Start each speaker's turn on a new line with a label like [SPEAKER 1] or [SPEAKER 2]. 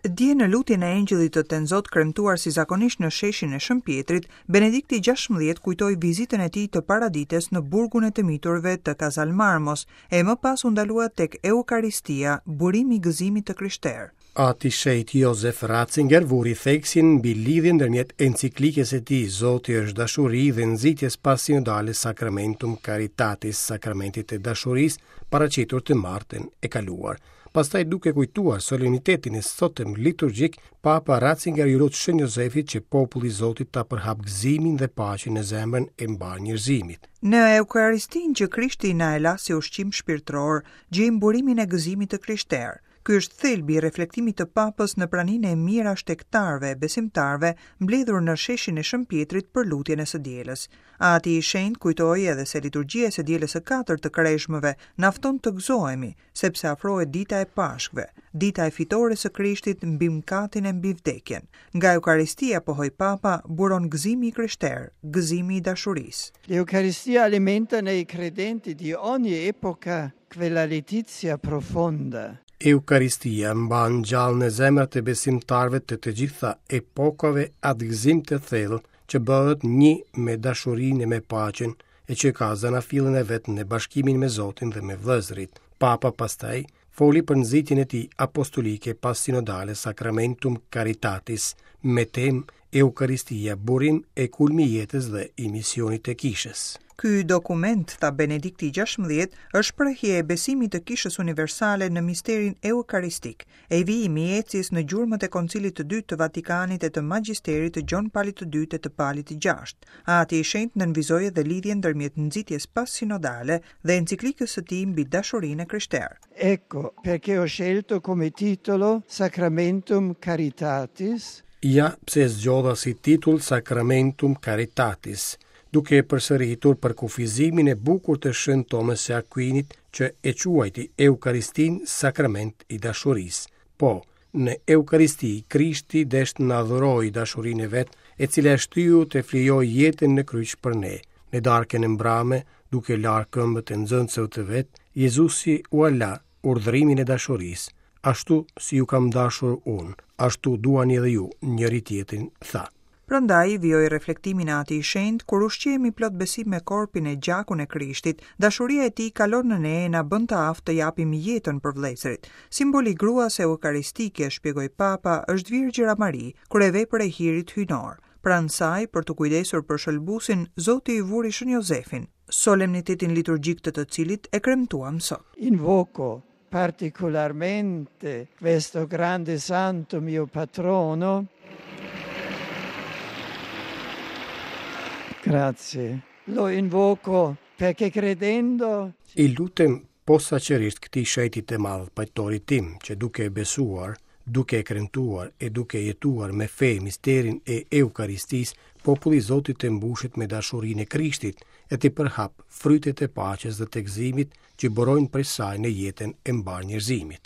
[SPEAKER 1] Dje në lutjen e Engjëllit të Tenzot kremtuar si zakonisht në sheshin e Shën Pjetrit, Benedikti 16 kujtoi vizitën e tij të paradites në burgun e të miturve të Casal Marmos, e më pas u ndalua tek Eukaristia, burimi i gëzimit të krishterë.
[SPEAKER 2] Ati i Shenjtë Josef Ratzinger vuri theksin mbi lidhjen ndërmjet enciklikës së tij Zoti është dashuri dhe nxitjes passinodale Sacramentum Caritatis, Sakramentit të Dashurisë, paraqitur të martën e kaluar. Pastaj duke kujtuar solemnitetin e sotëm liturgjik, Papa Ratzinger iu lut Shën Jozefit që populli i Zotit ta përhapë gëzimin dhe paqen në zemrën e mbarë
[SPEAKER 1] njerëzimit. Në Eucharistinë që Krishti na e la si ushqim shpirtëror, gjejmë burimin e gëzimit të krishterë. Ky është thelbi i reflektimit të Papës në praninë e mijëra shtegtarëve e besimtarëve mbledhur në sheshin e Shën Pjetrit për lutjen e së dielës. Ati i Shenjtë kujtoi edhe se liturgjia e së dielës së katërt të Kreshmëve na fton të gëzohemi, sepse afrohet dita e Pashkëve, dita e fitores së Krishtit mbi mëkatin e mbi vdekjen. Nga Eukaristia, pohoi Papa, buron gëzimi i krishterë, gëzimi i dashurisë.
[SPEAKER 3] L'Eucaristia alimenta nei credenti di ogni epoca quella letizia profonda.
[SPEAKER 2] Eukaristia mban gjallë në zemrat e besimtarëve të të gjitha epokave atë gëzim të thellë që bëhet një me dashurinë e me paqen, e që ka zanafillën e vet në bashkimin me Zotin dhe me vëllezërit. Papa pastaj foli për nxitjen e tij apostolike passinodale Sacramentum Caritatis me temë Eukaristia, burim e kulmi i jetës dhe i misionit të
[SPEAKER 1] Kishës. Ky dokument, tha Benedikti 16, është shprehje e besimit të Kishës Universale në misterin eukaristik, e vijimi i ecjes në gjurmët e Koncilit të Dytë të Vatikanit e të Magjisterit të Gjon Palit të Dytë e të Palit të Gjashtë. Ati i Shenjtë nënvizoi edhe lidhjen ndërmjet nxitjes passinodale dhe enciklikës së tij mbi dashurinë e
[SPEAKER 3] krishterë. Ecco perché ho scelto come titolo Sacramentum Caritatis.
[SPEAKER 2] Ja pse e zgjodha si titull Sacramentum Caritatis, duke e përsëritur përkufizimin e bukur të Shën Tomës së Akuinit që e quajti Eukaristinë sakrament i dashurisë. Po, në Eukaristi Krishti desh të na dhurojë dashurinë e vet, e cila e shtyu të flijojë jetën në kryq për ne. Në darkën e mbrame, duke larë këmbët e nxënësve të vet, Jezusi ua la urdhërimin e dashurisë, ashtu si ju kam dashur unë, ashtu duani edhe ju njëri-tjetrin, tha.
[SPEAKER 1] Prandaj, vijoi reflektimin Ati i Shenjtë, kur ushqehemi plot besim me korpin e gjakun e Krishtit, dashuria e tij kalon në ne e na bën të aftë të japim jetën për vëllezërit. Simboli i gruas eukaristike, shpjegoi Papa, është Virgjëra Mari, kryevepër e hirit hyjnor. Pranë saj, për t'u kujdesur për Shëlbuesin, Zoti i vuri Shën Jozefin, solemnitetin liturgjik të të cilit e kremtuam
[SPEAKER 3] sot. Invoco particolarmente questo grande santo mio patrono. Grazie. Lo invoco perché credendo
[SPEAKER 2] I lutem posaçërisht këtij shenjti të madh, pajtorit tim, që duke e besuar, duke e kremtuar e duke jetuar me fe misterin e Eukaristisë, populli i Zotit të mbushet me dashurinë e Krishtit e t'i përhapë frytet e paqes dhe të gëzimit që burojnë prej saj në jetën e mbarë njerëzimit.